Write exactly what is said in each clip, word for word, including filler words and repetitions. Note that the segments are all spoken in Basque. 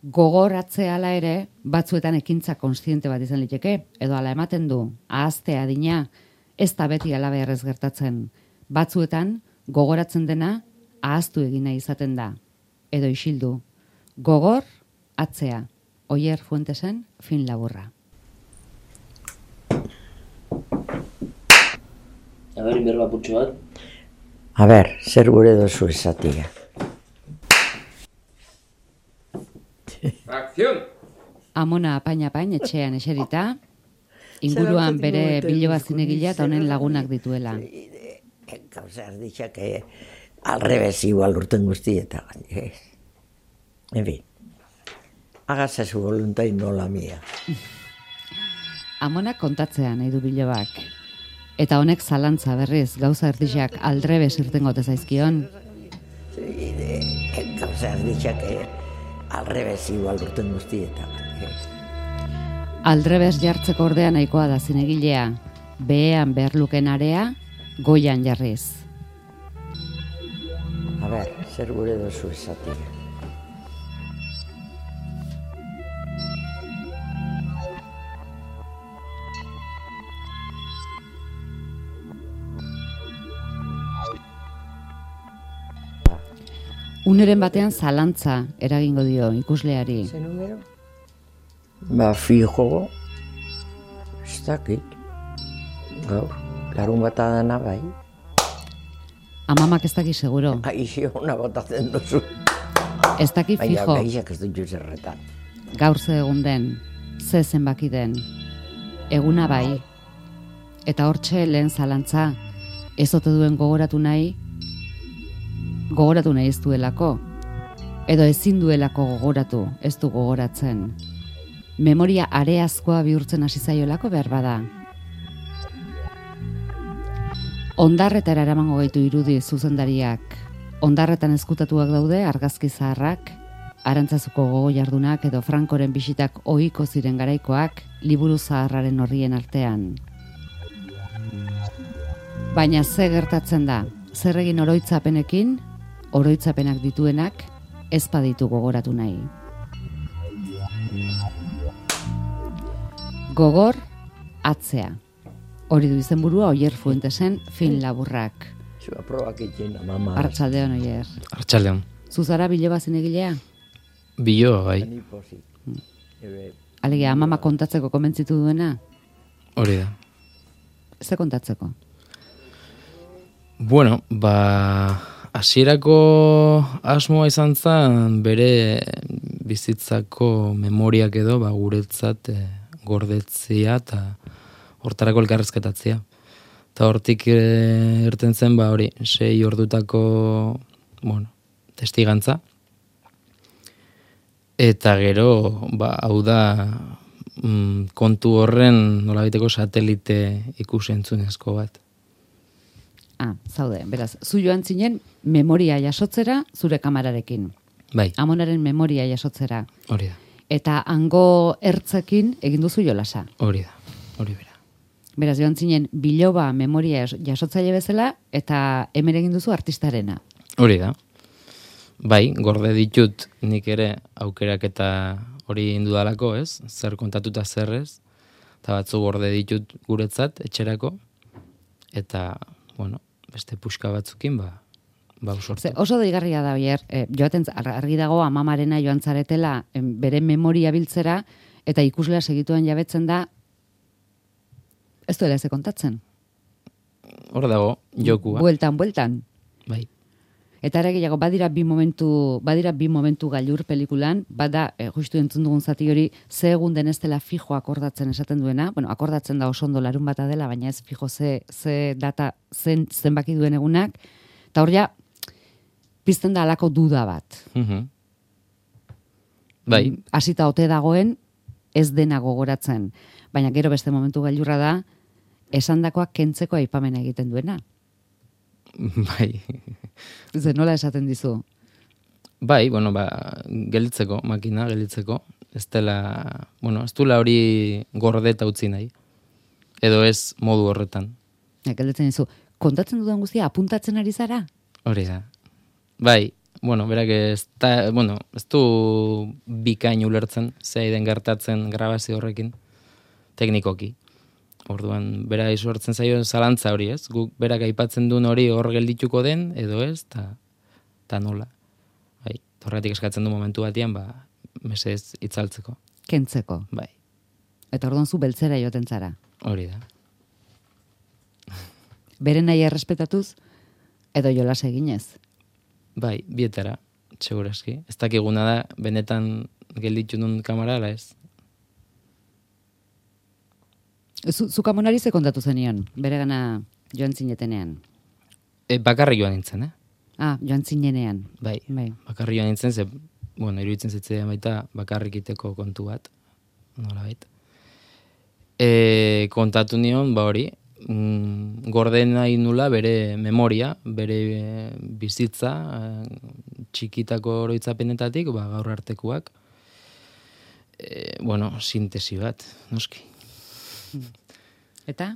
Gogoratzea ala ere, batzuetan ekintza kontziente bat izan liteke, edo ala ematen du, ahaztea adina, ez da beti ala beharrez gertatzen. Batzuetan, gogoratzen dena, ahaztu egina izaten da. Edo isildu. Gogor, atzea. Oier Fuentesen, fin laburra. A ber, berba putxo bat. A ber, zer gure dozu esatia. Akzion! Amona apain-apain etxean eserita, inguruan bere biloba zinegila eta honen lagunak dituela. Gauza erditxak alrebez igual urten guztieta. En fin, hágase su voluntad y no la mía. Amonak kontatzea nahi du bilobak. Eta honek zalantza berriz, gauza erditxak aldrebez irtengote zaizkion. Gauza erditxak alrebez igual urten guztieta. Aldrebez jartzeko ordea nahikoa da zinegilea, behean berluken area, goian jarriz. A ber, zer gure dozu esatia. Uneren batean zalantza eragingo dio ikusleari. Ze numero? Ba, fijo, ez dakit. Gaur, larun bat adana bai. Amamak ez daki seguro. Aixo, una botatzen duzu. Ez daki fijo. Baina, gaixak ez dut zerretan. Gaur ze egun den, ze zenbaki den. Eguna bai. Eta hortxe lehen zalantza, ez ote duen gogoratu nahi, gogoratu nahi ez duelako. Edo ezin duelako gogoratu, ez du gogoratzen. Memoria areazkoa bihurtzen hasi zaiolako behar bada. Ondarretara eramango gaitu irudi zuzendariak. Ondarretan ezkutatuak daude argazki zaharrak, Arantzazuko gogo jardunak edo Frankoren bisitak ohiko ziren garaikoak liburu zaharraren horrien artean. Baina ze gertatzen da, zer egin oroitzapenekin, oroitzapenak dituenak ez baditu gogoratu nahi. Gogor, atzea. Hori du izenburua Oier Fuentesen fin laburrak. Zua probak itxen, mama. Arratsaldeon, Oier. Arratsaldeon. Zuzara biloba zinegilea? Biloba, bai. Alegia, amama kontatzeko komentzitu duena? Hori da. Ze kontatzeko? Bueno, ba, hasierako asmoa izan zen bere bizitzako memoriak edo ba, guretzat e, gordetzea eta hortarako elkarrezketatzea. Eta hortik e, irten zen, ba, hori, sei ordutako, bueno, testigantza. Eta gero, ba, hau da, mm, kontu horren nolabiteko satelite ikusentzunezko bat. Ah, zaude, beraz, zu joan zinen memoria jasotzera zure kamararekin. Bai. Amonaren memoria jasotzera. Hori da. Eta hango ertzekin egin duzu jolasa. Hori da, hori bera. Beraz, joan zinen biloba memoria jasotzaile bezala eta hemen egin duzu artistarena. Hori da. Bai, gorde ditut nik ere aukerak eta hori indudalako, ez? Zer kontatuta zerrez. Eta batzu gorde ditut guretzat, etxerako. Eta, bueno, beste puska batzukin, ba, ba usortu. Ze, oso deigarria da, Oier, e, joaten argi dago amamarena joan zaretela em, bere memoria biltzera, eta ikuslea segituen jabetzen da, ez duela ez kontatzen. Hor dago, jokua. Bueltan, bueltan. Bai. Eta ere gehiago, badira bi momentu, badira bi momentu gailur pelikulan, bada, e, justu entzun dugun zati hori, ze egun den ez dela fijo akordatzen esaten duena, bueno, akordatzen da oso ondo larun bata dela, baina ez fijo ze, ze data zen, zenbaki duen egunak, eta hor ja, pizten da alako duda bat. Uh-huh. Bai. Hasita ote dagoen, ez dena gogoratzen. Baina gero beste momentu gailurra da, esandakoak kentzeko aipamena egiten duena. Bai. Ze nola esaten dizu? Bai, bueno, ba, gelditzeko, makina, gelditzeko. Ez dela, bueno, ez dula hori gordeta utzi nahi. Edo ez modu horretan. Ja, gelditzen dizu, kontatzen dudan guztia apuntatzen ari zara? Hori da. Bai, bueno, berak ez, da, bueno, ez du bikain ulertzen, zei den gertatzen grabazio horrekin, teknikoki. Orduan, bera isortzen zaio zalantza hori, ez? Guk berak aipatzen duen hori hor geldituko den, edo ez, ta, ta nola. Bai, horretik eskatzen du momentu batean, ba, mesez itzaltzeko. Kentzeko. Bai, Eta orduan zu beltzera joten zara. hori da. Bere nahi errespetatuz, edo jolas eginez. Bai, bietara, segurazki. Ez dakiguna da, benetan gelditu nun kamara, ala ez? Zu, zu kamonari ze kontatu zenion, bere gana joan zinetenean. E, bakarri joan nintzen, eh? Ah, joan zinenean. Bai, Bai. bakarri joan nintzen, ze, bueno, iruditzen zitzaidan baita bakarrik iteko kontu bat, nola baita. E, kontatu nion, ba hori, mm, gorden nahi nula bere memoria, bere e, bizitza, e, txikitako oroitzapenetatik, ba, gaur artekuak, e, bueno, sintesi bat, noski. Eta?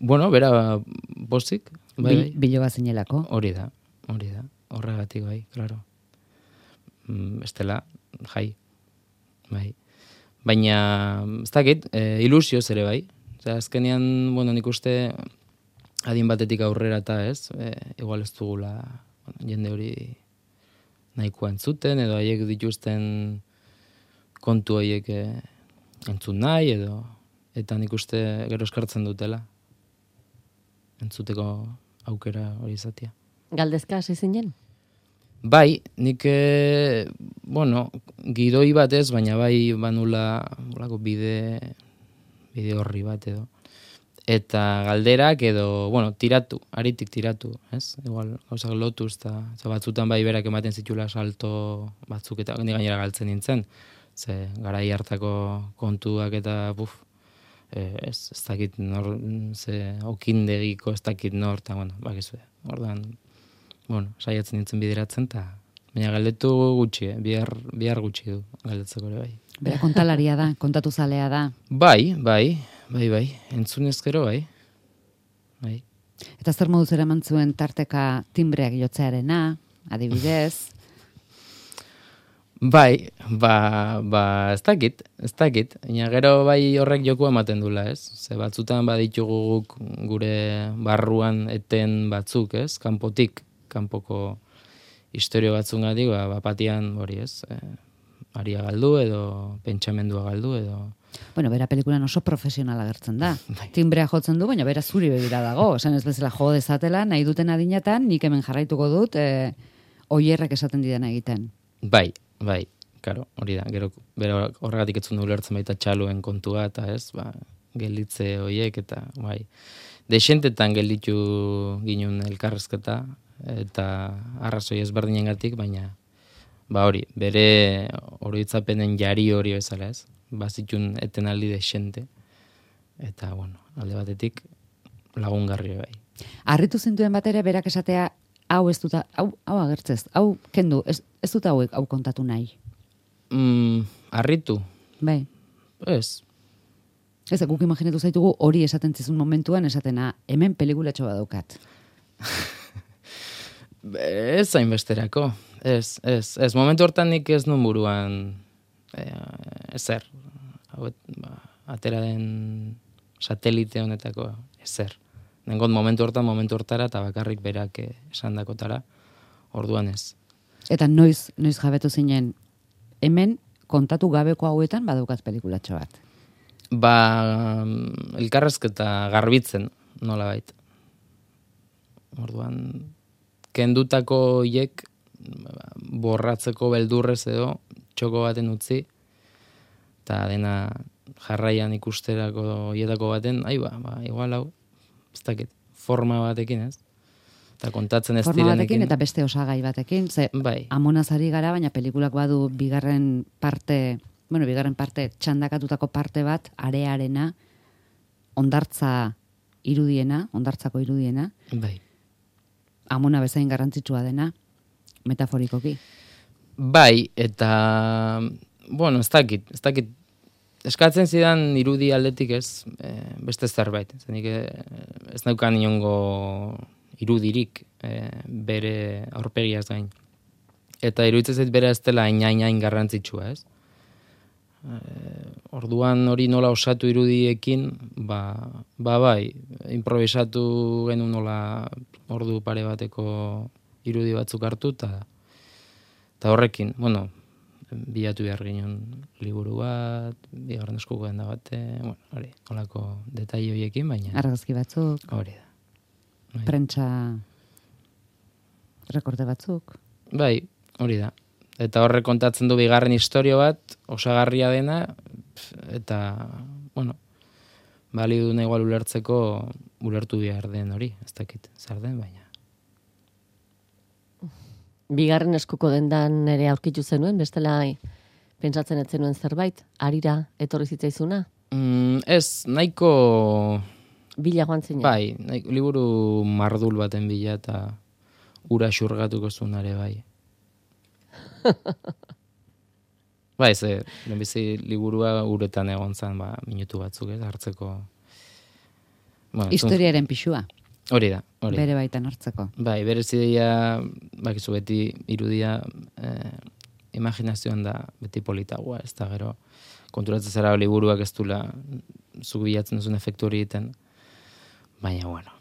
Bueno, bera pozik, bai, bai. Bil, biloba zinelako. Hori da, hori da, horregatik bai, claro. Mm, estela, jai, bai. Baina, ez dakit, e, ilusioz ere bai. Osea, azkenean, bueno, nik uste adin batetik aurrera eta ez, e, igual ez dugula bueno, jende hori nahikoa entzuten, edo haiek dituzten kontu horiek e, entzun nahi, edo eta nik uste gero eskartzen dutela entzuteko aukera hori izatea. Galdezka hasi zinen? Bai, nik, e, bueno, gidoi bat ez, baina bai banula olako bide, bide horri bat edo. Eta galderak edo, bueno, tiratu, aritik tiratu, ez? Igual, gauzak lotuz, eta batzutan bai berak ematen zitula salto batzuk eta ni gainera galtzen nintzen. Ze garai hartako kontuak eta, buf, e, ez, ez dakit nor, ze okindegiko ez dakit nor, eta, bueno, bakizue, ordan, bueno, saiatzen nintzen bideratzen, eta baina galdetu gutxi, eh? bihar, bihar gutxi du galdetzeko ere bai. Bera kontalaria da, kontatu zalea da. Bai, bai, bai, bai, entzunez gero bai. Bai. Eta zer moduz eraman zuen tarteka timbreak jotzearena, adibidez. Bai, ba, ba, ez dakit, ez dakit. Baina gero bai horrek joku ematen dula, ez? Ze batzutan baditugu guk gure barruan eten batzuk, ez? Kanpotik, kanpoko historio batzungatik, ba, bapatian hori, ez? E, aria galdu edo pentsamendua galdu edo... Bueno, bera pelikulan oso profesionala agertzen da. Bai. Timbrea jotzen du, baina bera zuri begira dago. Esan ez bezala jo dezatela, nahi duten adinatan, nik hemen jarraituko dut, e, oierrek esaten didana egiten. Bai, bai, karo, hori da. Gero, bero horregatik etzun du ulertzen baita txaluen kontua, eta ez, ba, gelditze hoiek, eta bai. Dexentetan gelditu ginen elkarrezketa, eta arrazoi ezberdinengatik, baina ba hori, bere oroitzapenen jari hori bezala ez, bazitun etenaldi dexente, eta bueno, alde batetik lagungarri bai. Harritu zintuen bat ere, berak esatea, hau ez duta, hau, hau agertzez, hau kendu, ez, ez dut hauek hau kontatu nahi. Mm, harritu? Bai. Ez. Ez, guk imaginatu zaitugu hori esaten zizun momentuan, esatena, hemen pelikulatxo badaukat. Ez hainbesterako. Ez, ez, ez. Momentu hortan nik ez nun buruan e, ezer. Hauet, ba, atera den satelite honetako ezer. Nengot momentu hortan, momentu hortara, eta bakarrik berak esan dakotara, orduan ez. Eta noiz, noiz jabetu zinen, hemen kontatu gabeko hauetan badaukat pelikulatxo bat. Ba, elkarrezketa garbitzen, nola bait. Orduan, kendutako hiek borratzeko beldurrez edo txoko baten utzi, eta dena jarraian ikusterako hietako baten, ai ba, ba, igual hau, ez dakit, forma batekin ez, eta kontatzen ez direnekin. Forma batekin direnekin. eta beste osagai batekin, ze bai. amonazari gara, baina pelikulak badu bigarren parte, bueno, bigarren parte, txandakatutako parte bat, arearena, ondartza irudiena, ondartzako irudiena, bai. Amona bezain garrantzitsua dena, metaforikoki. Bai, eta, bueno, ez dakit, ez dakit, eskatzen zidan irudi aldetik ez, e, beste zerbait. Zenik ez naukan inongo irudirik e, bere aurpegiaz gain. eta iruditzen zait bera ez dela hain garrantzitsua, ez? E, orduan hori nola osatu irudiekin, ba, ba bai, improvisatu genuen nola ordu pare bateko irudi batzuk hartu, eta eta horrekin, bueno, bilatu behar ginen liburu bat, bigarren eskuko denda bate, bueno, hori, nolako detai horiekin, baina... Argazki batzuk. Hori da. Bai. Prentsa rekorte batzuk. Bai, hori da. Eta horrek kontatzen du bigarren istorio bat, osagarria dena, eta, bueno, balio duna igual ulertzeko, ulertu behar den hori, ez dakit, zer den, baina. Bigarren eskuko dendan ere aurkitu zenuen, bestela pentsatzen ez zenuen zerbait, arira etorri zitzaizuna? Mm, ez, nahiko... Bila joan zinen? Bai, nahiko, liburu mardul baten bila eta ura xurgatuko zunare bai. Bai, ze, lehenbizi liburua uretan egon zen, ba, minutu batzuk, ez, hartzeko... Bueno, historiaren pixua. Hori da, hori. Bere baitan hartzeko. Bai, bere zideia, bakizu beti irudia eh, imaginazioan da beti politagoa, ez da gero konturatzen zara liburuak ez dula zuk bilatzen duzun efektu hori egiten, baina bueno.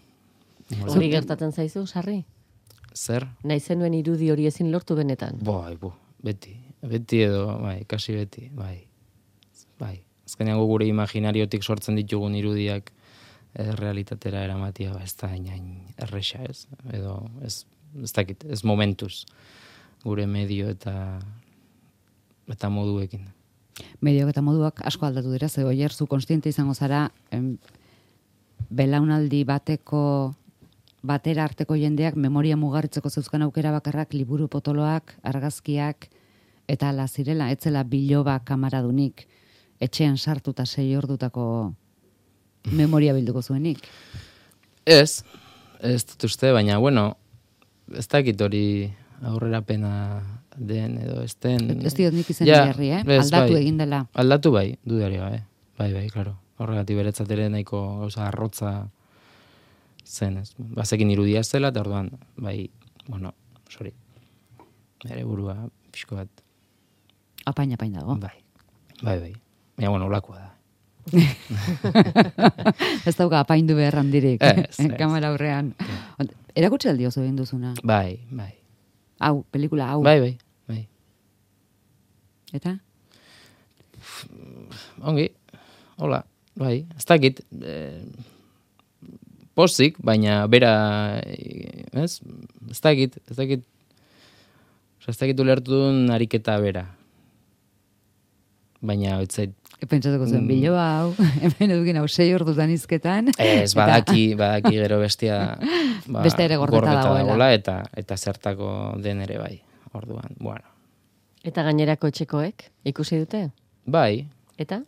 Hori gertatzen zaizu, Sarri? Zer? Nahi zenuen irudi hori ezin lortu benetan? Bai, bu, beti, beti edo, bai, kasi beti, bai, bai. Azkenean gure imaginariotik sortzen ditugun irudiak ez realitatera eramatia, ba, ez da hain erresa, ez? Edo, ez, ez dakit, ez momentuz, gure medio eta eta moduekin. Medioak eta moduak asko aldatu dira, ze oier zu konstiente izango zara, em, belaunaldi bateko, batera arteko jendeak memoria mugarritzeko zeuzkan aukera bakarrak liburu potoloak, argazkiak, eta ala zirela, etzela biloba kamaradunik, etxean sartuta sei ordutako memoria bilduko zuenik. Ez, ez dut uste, baina, bueno, ez dakit hori aurrerapena den edo ez den. Ez diot nik izan ja, jarri, eh? ez, Aldatu bai. egin dela. Aldatu bai, dudari gabe. Bai, bai, klaro. Horregatik beretzat ere nahiko gauza arrotza zen, ez. Bazekin irudia zela, eta orduan, bai, bueno, sorry, bere burua pixko bat. Apain, apain dago. Bai, bai, bai. Baina, bueno, olakoa da. Ez dauka apaindu behar handirik, Ez, ez. kamera aurrean. Erakutsi aldi oso egin duzuna. Bai, bai. Hau, pelikula, hau. Bai, bai, bai. Eta? Ongi, hola, bai, ez dakit, eh, pozik, baina bera, ez, ez dakit, ez dakit, ez dakit ulertu duen ariketa bera. Baina, etzait, Pentsatuko zen, biloa hau, hemen edukin hau sei ordutan izketan. ez, badaki, badaki gero bestia, ba, Beste ere gordeta dagoela. eta, eta zertako den ere bai, orduan, bueno. Eta gainerako etxekoek ikusi dute? Bai, Eta?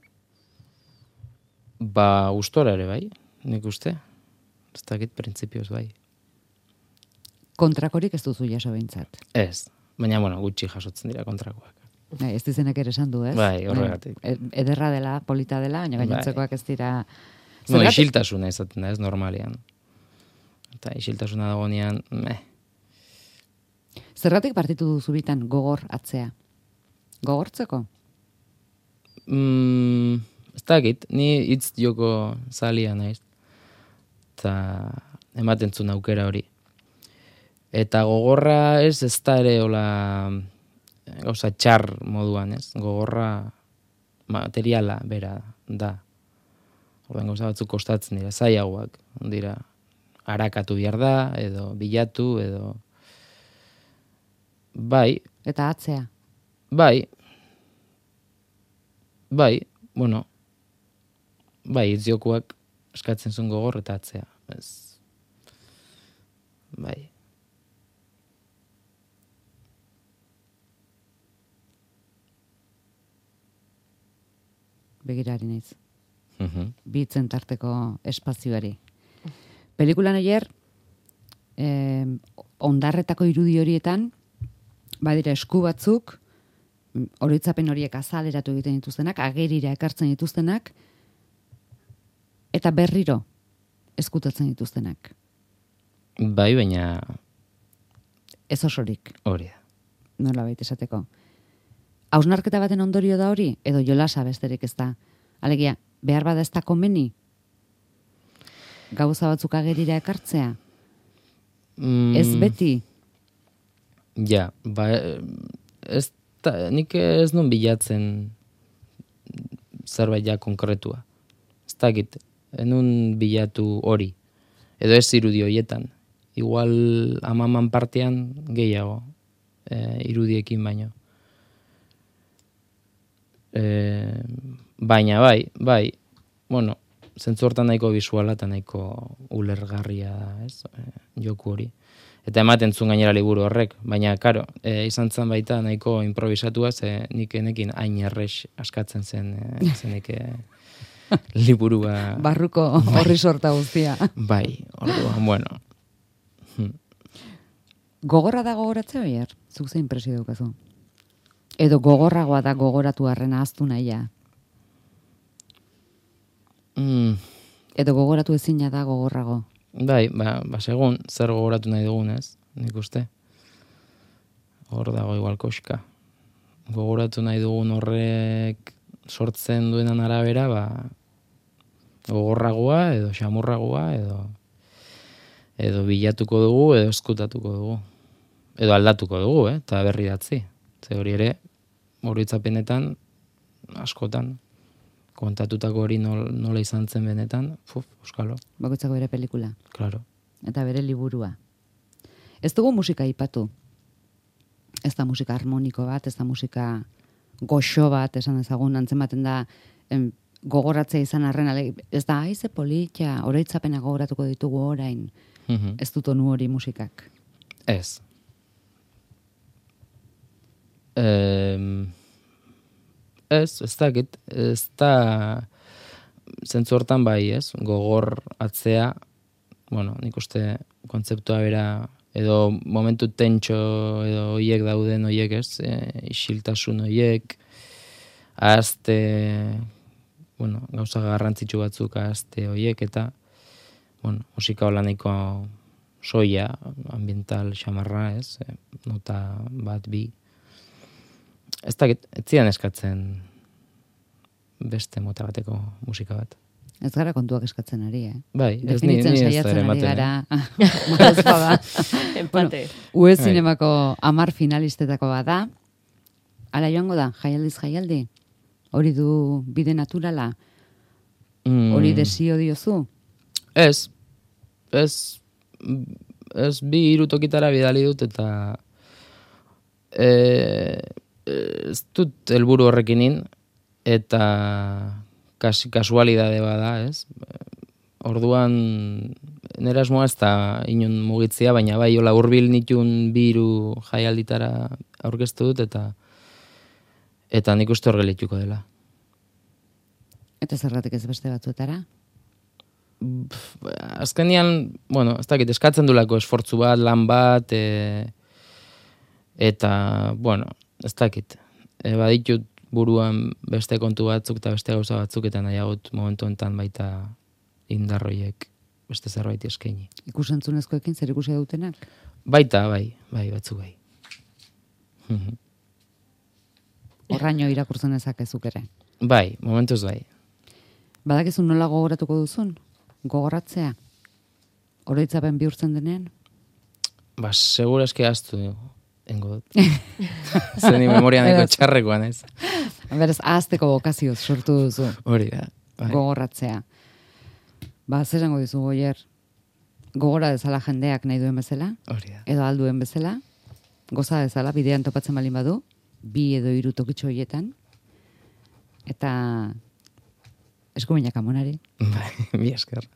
ba, gustora ere bai, nik uste, ez dakit printzipioz bai. Kontrakorik ez duzu jaso behintzat. Ez, baina, bueno, gutxi jasotzen dira kontrakoak. Bai, ez dizenek ere esan du, ez? Bai, horregatik. E- Ederra dela, polita dela, baina gainontzekoak ez dira... No, Zergatik- isiltasuna izaten da, ez normalian. Eta isiltasuna dagoenean, meh. Zergatik partitu duzu bitan gogor atzea? Gogortzeko? Mm, ez dakit, ni hitz joko zalia naiz. Eta ematen zuen aukera hori. Eta gogorra ez ez da ere hola gauza txar moduan, ez? Gogorra materiala bera da. Orduan gauza batzuk kostatzen dira, zailagoak dira. Arakatu behar da, edo bilatu, edo... Bai, Eta atzea? bai, bai, bueno, bai, itziokuak eskatzen zuen gogor eta atzea. Ez, bai. Begirari naiz. Mhm. Bitzen tarteko espazioari. Pelikulan oier, eh, ondarretako irudi horietan, badira esku batzuk, mm, oroitzapen horiek azaleratu egiten dituztenak, agerira ekartzen dituztenak, eta berriro eskutatzen dituztenak. Bai, baina Ez osorik. hori da. nola baita esateko. Hausnarketa baten ondorio da hori, edo jolasa besterik ez da. Alegia, behar bada ez da komeni? Gauza batzuk agerira ekartzea? Mm, Ez beti? Ja, ba, ez da, nik ez nun bilatzen zerbait ja konkretua. Ez dakit, enun bilatu hori. Edo ez irudi horietan. Igual amaman partean gehiago e, irudiekin baino. E, baina bai, bai, bueno, zentzu hortan nahiko bisuala eta nahiko ulergarria da, ez, e, joku hori. Eta ematen zuen gainera liburu horrek, baina, karo, e, izan zen baita nahiko improvisatua, ze nik enekin hain errex askatzen zen, e, zenek e, liburua. Barruko horri sorta guztia. Bai, orduan, bueno. Gogorra da gogoratzea, oier? Zuk ze impresio daukazu? Edo gogorragoa da gogoratu harrena ahaztu nahia? Mm. Edo gogoratu ezina da gogorrago? Bai, ba, ba segun, zer gogoratu nahi dugun, ez? Nik uste. Hor dago igual koxka. Gogoratu nahi dugun horrek sortzen duenan arabera, ba, gogorragoa, edo xamurragoa, edo edo bilatuko dugu, edo eskutatuko dugu. Edo aldatuko dugu, eh? Eta berri datzi. Ze hori ere, oroitzapenetan, askotan, kontatutako hori nol, nola izan zen benetan, fuf, euskalo. Bakoitzako bere pelikula. Claro. Eta bere liburua. Ez dugu musika ipatu. Ez da musika harmoniko bat, ez da musika goxo bat, esan ezagun, antzematen da em, gogoratzea izan arren, ez da, aize politia, oroitzapena gogoratuko ditugu orain, Mm-hmm. ez dut onu hori musikak. Ez. Eh, ez, ez dakit, ez da zentzu hortan bai, ez? Gogor atzea, bueno, nik uste kontzeptua bera, edo momentu tentxo edo hoiek dauden hoiek, ez? E, isiltasun hoiek, ahazte, bueno, gauza garrantzitsu batzuk ahazte hoiek, eta bueno, musika hola nahiko soia, ambiental xamarra, ez? E, nota bat, bi. Ez dakit, ez zidan eskatzen beste mota bateko musika bat. Ez gara kontuak eskatzen ari, eh? Bai, ez ni, Definitzen ni ez saiatzen ere ari ematen. gara. Malaz bada. Empate. U E Bai. zinemako amar finalistetako bada. Hala joango da, jaialdiz jaialdi? Hori du bide naturala? Mm, Hori desio diozu? Ez, ez, ez bi hiru tokitara bidali dut eta e, ez dut helburu horrekin eta kas, kasualidade bada, ez? Orduan nera asmoa ez da inon mugitzea, baina bai hola hurbil nitun bi hiru jaialditara aurkeztu dut eta eta nik uste hor gelituko dela. Eta zergatik ez beste batzuetara? Azkenean, bueno, ez dakit, eskatzen dulako esfortzu bat, lan bat, e, eta, bueno, ez dakit. E, baditut buruan beste kontu batzuk eta beste gauza batzuk, eta nahiagot momentu enten baita indarroiek beste zerbait eskaini. Ikusentzunezkoekin zer ikusi dutenak? Baita, bai, bai, batzuk bai. Horraino irakurtzen ezakezuk ere. Bai, momentuz bai. Badakizu nola gogoratuko duzun? Gogoratzea? Oroitzapen bihurtzen denean? Ba, segura eski aztu engo dut. Zeni memoria nahiko txarrekoan ez. Berez, ahazteko bokazioz sortu duzu. Hori da. Bai. Gogorratzea. Ba, zer esango dizu, Goier? Gogora dezala jendeak nahi duen bezala? Hori da. Edo alduen bezala? Goza dezala, bidean topatzen balin badu? Bi edo hiru tokitxo horietan? Eta eskuminak amonari. Bai, mi esker.